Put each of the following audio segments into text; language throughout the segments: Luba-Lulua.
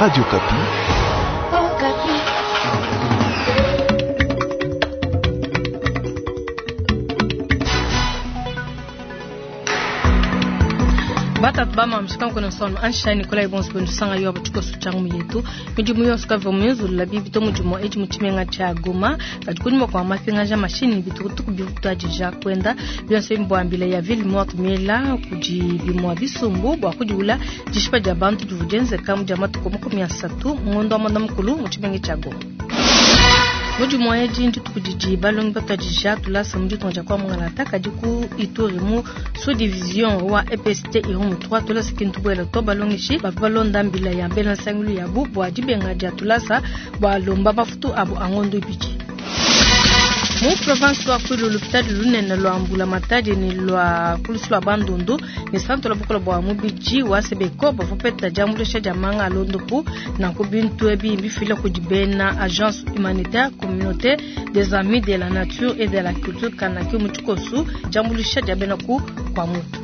Radio Okapi. Batatu bamamishika nkona sono ansha Nikolai bonso benu sanga yo abatshikoso tsha ngumu yetu midimu yonso kavua muyenzulula bibi to mudimu edi mu tshimenga tshia Goma kadi kunyima kua mapingaja mashinyi bitukutuku bituadija kuenda bionso ebi mbuambila ya ville morte miela kudi bimua bisumbu bua kudiula dishipa dia bantu divua dienzeka mu dia matuku 30 mu ngondo wa muanda mukulu mu tshimenga tshia Goma. Mudimu edi ndituku didi balongi batuadija tulasa mu ditunga dia kwa Mungalata kadi ku Ituri mu sous-division wa EPST Irumu 3 tulasa kintu buela to balongeshi bavua balonda mbila ya bena nsangilu yabu bua dibenga dia tulasa bua lomba mafutu abu a ngondo ibidi. Mu province wa Kwilu lupitadi lunene lua mbulamatadi ne lua kulusu lua Bandundu ne santu la bukola bua mubidi wa Sebeko bavua bapeta diambuluisha dia manga a londopu. Nanku bintu ebi mbifila kudi bena agence humanitaire communauté des amis de la nature et de la culture Kanaki mu tshikosu diambuluisha dia bena ku kwa mutu.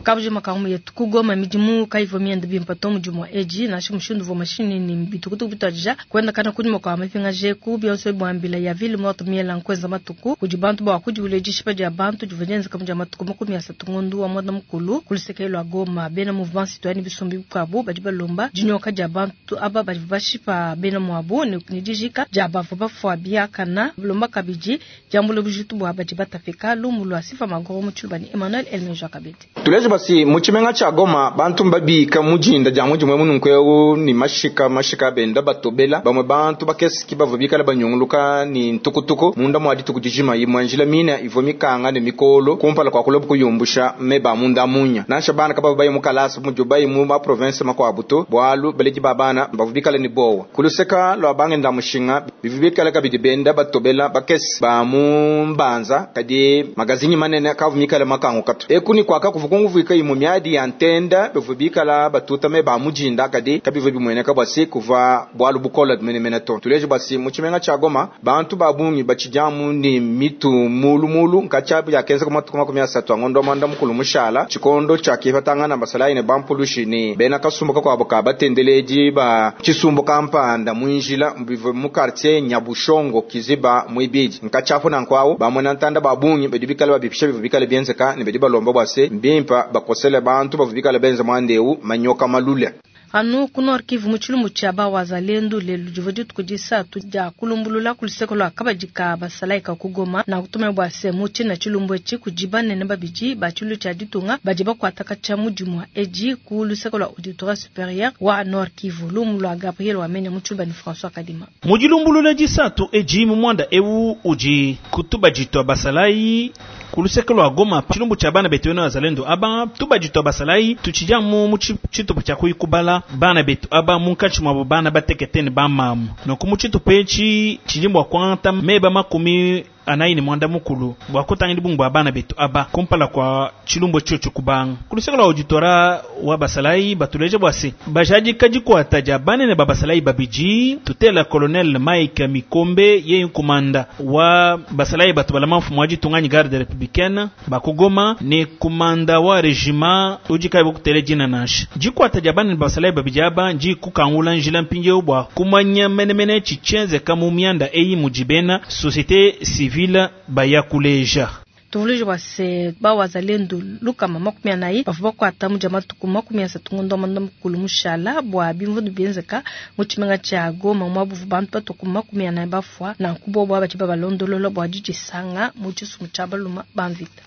Kabujima ka ngumu yetu ku Goma midimu kayivua miende bimpe to mudimu wa edi nansha mushindu uvua mashinyi ne bitukutuku bituadija kuendakana kunyima kua mapingaja eku bionso bua mbila ya ville morte miela nkuenza matuku kudi bantu bua kudiwula dishipa dia bantu divua dienzeka mu dia matuku 30 ngondo wa muanda mukulu ku luseke lua Goma. Bena mouvement citoyen ne bisumbu bikuabu badi balomba dinyoka dia bantu aba badi bashipa bena muabu ne dijika dia bavua bafua biakana balomba kabidi diambula bujitu bua badi batapika. Lumu lua Sifa Magoro mu Tshiluba ne Emmanuel Elmeja Kabedi. Tuleje basi mu tshimenga tshia Goma bantu mbabika mu dinda dia mudimu mununku eu ni mashika mashika benda batobela bamwe bantu bakese ki bavua bikala banyunguluka ni ntukutuku munda mwa dituku dijima imwe njila mina ivua mikanga ne mikolo kumpala kwa kulobu kuyumbusha meba munda munya nansha bana kabava bayi mu kalasa mudio bayi mu ma province makuabu to bualu baledi ba bana bavua bikala ni bowa kuluseka lua bangenda mushinga bivua bikala kabidi benda batobela bakese ba mu mbanza kadi magazinyi manene kavua mikala makangu katu eku ni kwaka kuva kunguvuika imwe miadi ya ntenda bivua bikala batuta meba mujinda kadi kabivua bimueneka bwasi kuva bualu bukola menemene to tuleje bwasi mu tshimenga tshia Goma bantu ba bungi batshidiamu ni mitu mulumulu nkatshia yakenza ku matuku 30 ngondo mwanda mukulu mushala tshikondo tshia kifatangana basalayi ne bampulushi ni bena kasumbu kakuabu ka batendeledi ba tshisumbu kampanda mwinjila bivua mu quartier Nyabushongo Kiziba mwibidi nkatshiapu nankwawu bamona ntanda ba bungi badi bikala babipisha bivua bikala bienzeka ne badi balomba bwase mbimpa bakosele bantu bavua bikala benza mwandeu manyoka malule. Anu ku Nord Kivu mu tshilumbu tshia ba wazalendo lelu divua dituku disatu dia kulumbulula ku luseke lua kabadi ka basalayi ka ku Goma na kutumia bua se mu tshina tshilumbu etshi kudi banene babidi ba tshilu tshia ditunga badi bakuata katshia mudimu wa edi ku luseke lua auditorat supérieur wa Nord Kivu. Lumu lua Gabriel Wamenya mu tshiluba ne François Kadima. Mu dilumbulula disatu edi mu mwanda eu udi kutubaditwa basalayi ku luseke lua Goma tshilumbu tshia bana betu bena wazalendo aba tubaditwa basalayi tutshidia mu tshitupa tshia kuyikubala bana betu aba munkatshi mwabo bana batekete ne bamamu nonku mu tshitupa etshi tshidi bua kuangata meba 48 ne mwanda mukulu bua kutangila bungi bua bana betu aba kumpala kwa tshilumbu tshio kubanga ku luseke lua auditora wa basalayi batuleje bua se bajadika dikuata dia banene ba basalayi babidi tutela colonel Mike Mikombe ye nkumanda wa basalayi batu balama mfumu wa ditunga ni garde républicaine bakugoma ne kumanda wa regiment udi kayi bukutele dina nansha dikuata dia banene ba basalayi babidi aba ndi kukangula njila mpindieu bua kumanya menemene tshitshienzeka mu mianda eyi mudi bena société civile baya kuleja. Tuvuluije bua se ba wazalendo lukama 40 bavua bakuata mu dia matuku 30 ngondo wa mwanda mukulu mushala bua bimvundu bienzeka mu tshimenga tshia Goma mwabuvu bantu batuku 40 bafua nanku bobo badi babalondolola bua didisanga mu tshisumbu tshia baluma ba mvita.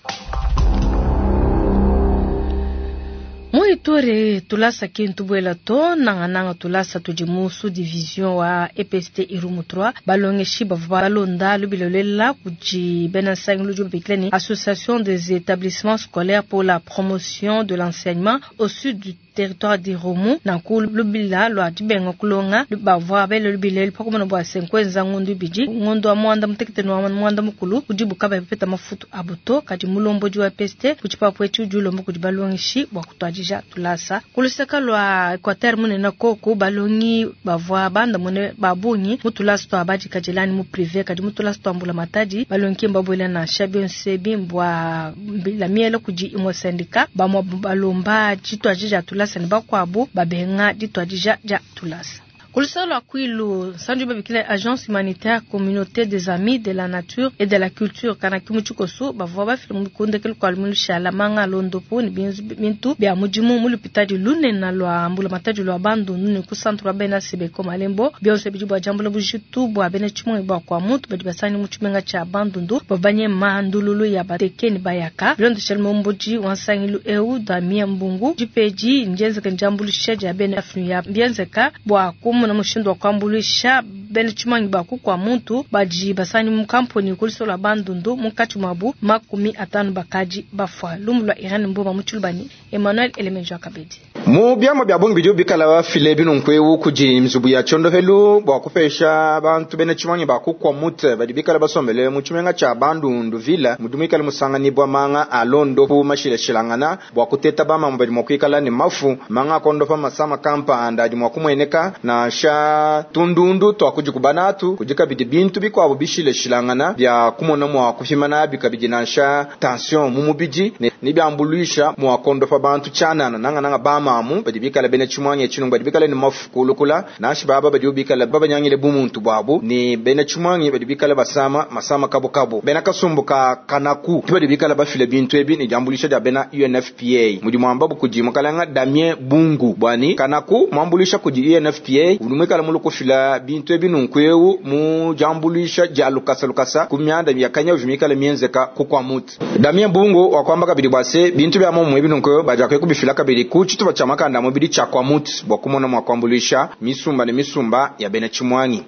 Mu Ituri tulasa kintu buela to nanga tulasa tudi mu sous-division wa EPST Irumu 3 balongeshi bavua balonda lubilolela kudi bena nsangilu udi babikila ni Association des établissements scolaires pour la promotion de l'enseignement au sud du territoire d'Irumu. Nanku lubila lua dibenga kulonga bavua bele lubila elu pa kumona bua se nkuenza ngondu ibidi, ngondu wa muanda mutekete ne wa muanda mukulu udibu kabayi bapeta mafutu abu to. Kadi mulombodi wa EPST ku tshipapu etshi udi ulomba kudi balongeshi bua kutuadija tulasa. Ku luseke lua Equateur munene koku balongi bavua bandamune ba bungi mu tulasa tua badikadile anyi mu prive, kadi mu tulasa tua mbulamatadi balongi ki mbabuele nansha. Bionso ebi mbua mbila miela kudi imue syndicat, bamue balomba dituadija dia tulasa ne bakuabu babenga dituadija dia tulasa. Ku luseke lua Kwilu, nsanji babikila Agence humanitaire Communauté des Amis de la Nature et de la Culture Kanaki mu tshikoso bavua bafile mu kundekelu kua lumingu lushala manga a londopu ne bintu bia mudimu mu lupitadi lunene lua mbulamatadi lua Bandundu ne ku centre wa bena Sebeko Malembo. Bionso bidi bua diambula bujitu bua bena tshimungi bua kua muntu badi basangi mu tshimenga tshia Bandundu bavua banyema ndululu ya bateke ne bayaka. Bilondeshile mulombodi wa nsangilu eu Damien Mbungu, dipedi ndienzeke ndiambuluisha dia bena FNUA bienzeka bua kumona mushindu wa kuambuluisha bena tshimangi ba kukua muntu badi basangi mu kamponi ku luseke lua Bandundu munkatshi muabu 50 bakadi bafua. Lumu lua Irene Mboma mu Tshilubani, Emmanuel Elemenjo Kabedi. Mu biamua bia bungi bidi bikala bafile binunku eu kudi nzubu ya tshiondopelu bua kupesha bantu bena tshimangi ba kukua mutu badi bikala basombele mu tshimenga tshia Bandundu ville mudi muikale musanganibua manga a londopu mashilashilangana bua kuteta bamama badi mua kuikala ne mafu manga akondopa masama kampanda adi mua kumueneka nansha tundundu tua kudi kubanatu kudi kabidi bintu bikuabu bishilashilangana bia kumona mua kupima nabi kabidi nansha tension mu mubidi ne biambuluisha mua kondopa bantu tshianana nangananga bamamu badi bikala bena tshimuangi tshino badi bikala ne mafu kulukula nansha baba badi bikala babanyangile bumuntu buabu ne bena tshimuangi badi bikala basama masama kabukabu bena kasumbu ka kanaku badi bikala bafile bintu ebi ne diambuluisha dia bena UNFPA mudi muamba kudi mukalanga Damien Bungu bwani kanaku muambuluisha kudi UNFPA udi muikala mulukufila bintu ebi nunku eu mu diambuluisha dia lukasa lukasa ku mianda yakanya ujimikala mienzeka kukwa mutu Damien Bungu wakwamba kabidi bwa se bintu bya momu ebi nunku bajakwe kubifila kabidi ku tshitupa tshia makanda mubidi tshia kwa mutu bwa kumona mwa kuambuluisha misumba ne misumba ya bena tshimuangi.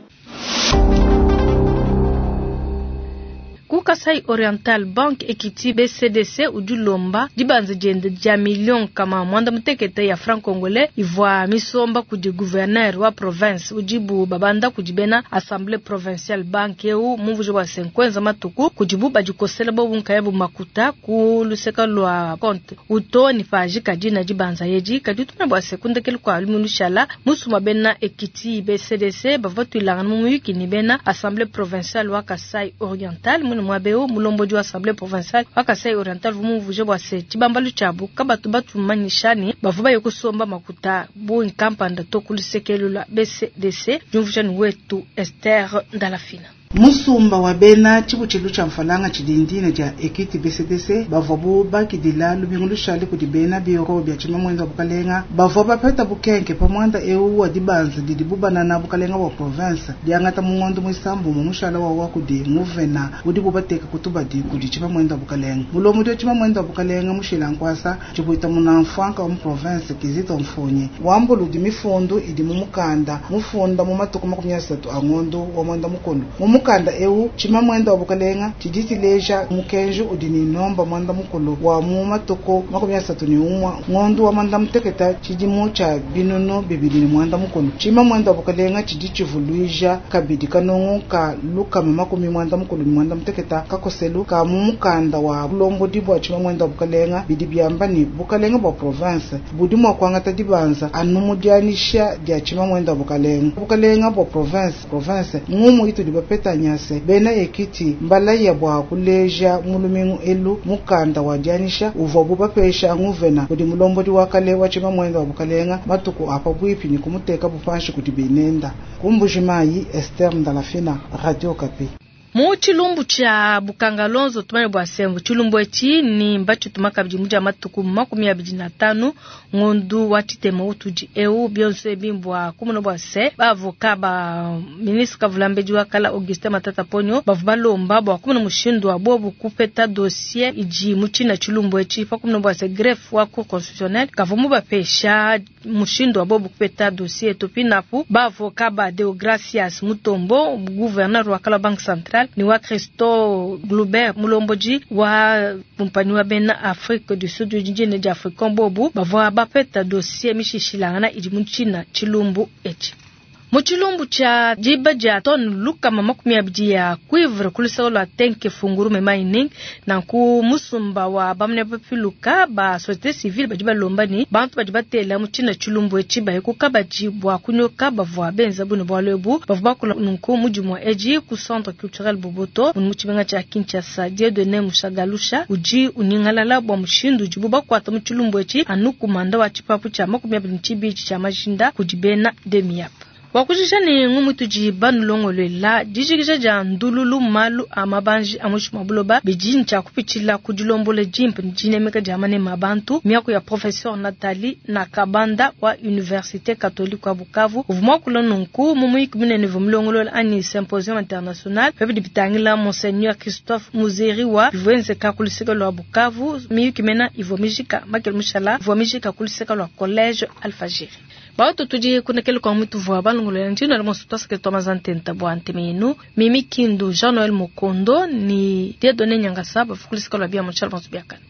Ku Kasai Oriental Bank Equity BCDC udi ulomba dibanza diende dia million kama mwanda mutekete ya franc congolais ivua misomba kudi gouverneur wa province udibu babanda kudi bena assemblée provinciale. Bank eu mumvuji wa 50 matuku kudibu badikosela bobu nkayabu makuta ku luseka lua compte uto ni paji kadina dibanza yedi kadi tumena bua sekundekelu kwa lumilushala musuma bena Equity BCDC bavua tuilangana mu muyuki ni bena assemblée provinciale wa Kasai Oriental mune mwabeo mulombodi wa assemblée provinciale wa Kasai Oriental vumuvuje bwa se tshibambalu tshiabu kabatu batumanyisha ne bavua baye kusomba makuta bu nkampanda to ku lusekelu lua BCDC jumvujani wetu Esther Ndalafina. Musumba wa bena tshibutshilu tshia mfalanga tshidindine dia Equity BCDC bavua bu bakidila lubingu lushale kudi bena biro bia tshimamwenza wa bukalenga bavua bapeta bukenke pa mwanda eu wa dibanza didi bubanana bukalenga wa province diangata mu ngondo muisambu mu mushala wa wa kudi nguvena udi bubateka kutubadi kudi tshimamwenza wa bukalenga mulomo wa tshimamwenza wa bukalenga mushila nkwasa tshibuita munamfwanka wa mu province Kizito Mfunyi wambulu di mifundu idi mu mukanda mufunda mu matuku 30 a ngondo wa mwanda mukulu mu mukanda eu tshimamwenda wa bukalenga tshiditileja mukenji udi ni nomba mwanda mukulu wa mu matuku 31 ngondo wa mwanda muteketa tshidimu tsha binunu bibili ni mwanda mukulu tshimamwenda wa bukalenga tshidi tshivuluija kabidi kanongo ka lukama makumi mwanda mukulu ni mwanda muteketa kakoselu ka mu mukanda wa bulombodi bwa tshimamwenda wa bukalenga bidi byamba ni bukalenga bwa province budi mwa kwangata dibanza anu mudianisha dia tshimamwenda wa bukalenga bukalenga bwa province ngumu itu dibapeta nyase bena Equity mbalaya bwa kuleja mulumingu elu mukanda wa dianisha uvua bubapesha nguvena kudi mulombodi wa kale wa tshimamwenda wa bukalenga matuku apa bwipi ni kumuteka bupanshi kudi binenda kumbujimayi Esther Ndalafina, Radio Kapi. Mu tshilumbu tshia Bukangalonzo tumanye bwa sembo tshilumbu etshi ni mbatshituma kabidi mu dia matuku 25 ngondu wa tshitema utudi eu bionso ebi mbua kumuna bua se baavoka ba ministre Kavulambedi wa kala Augustin Matata Ponyo bavua balomba bua kumuna mushindu wa bobu kupeta dossier idi mu tshina tshilumbu etshi pa kumuna bua se greffe wa cour constitutionnelle kavua mubapesha mushindu wa bobu kupeta dossier topinapu baavoka ba Deogracias Mutombo gouverneur wa kala banque centrale Senegal ne wa Christo Gluber mulombodi wa kumpanyi wa bena Afrique du Sud dina dia Africom bobu bavua bapeta dossier mishishilangana idi mu tshina tshilumbu etshi. Mu tshilumbu tshia diba dia tone 220 ya cuivre ku luseke lua Tenke Fungurume Mining, nanku musumba wa bamane bapiluka ba société civile badi balomba ne bantu badi batela mu tshina tshilumbu etshi baye ku kabadi bua kunyoka bavua benza bune bualu ebu. Bavua bakula nunku mu dimue edi ku centre culturel Boboto mu tshimenga tshia Kinshasa. Dieudonné Mushagalusha udi unyingalala bua mushindu udibu bakuata mu tshilumbu etshi anu kumanda wa tshipapu tshia 22 tshia majinda kudi bena Demiap. Wakujisha ne ngumu tudi banulongoluela dijikija dia ndululu malu a mabanji a muinshi mua buloba bidi ntshia kupitshila ku dilombola dimpe ne dinemeka dia maneme a bantu. Miaku ya professeur Nathalie Nakabanda wa Université Catholique wa Bukavu uvua muakula nunku mu muyiki munene uvua mulongolola anyi symposium international pa bidi bitangila Monseigneur Christophe Muzeriwa bivua enzeka ku luseke lua Bukavu. Miyuki mena ivua mijika Makele Mushala ivua mijika ku luseke lua Collège Alfajiri. Baoto tudi kunekele kwa mutu vua balongolola ntino ala monso twasake twamaza ntenta bua nteme yenu Mimi Kindu Jean Noël Mokondo ni Dieudonné Nyangasa bafukulisika lwa bia mutshala bonso biakana.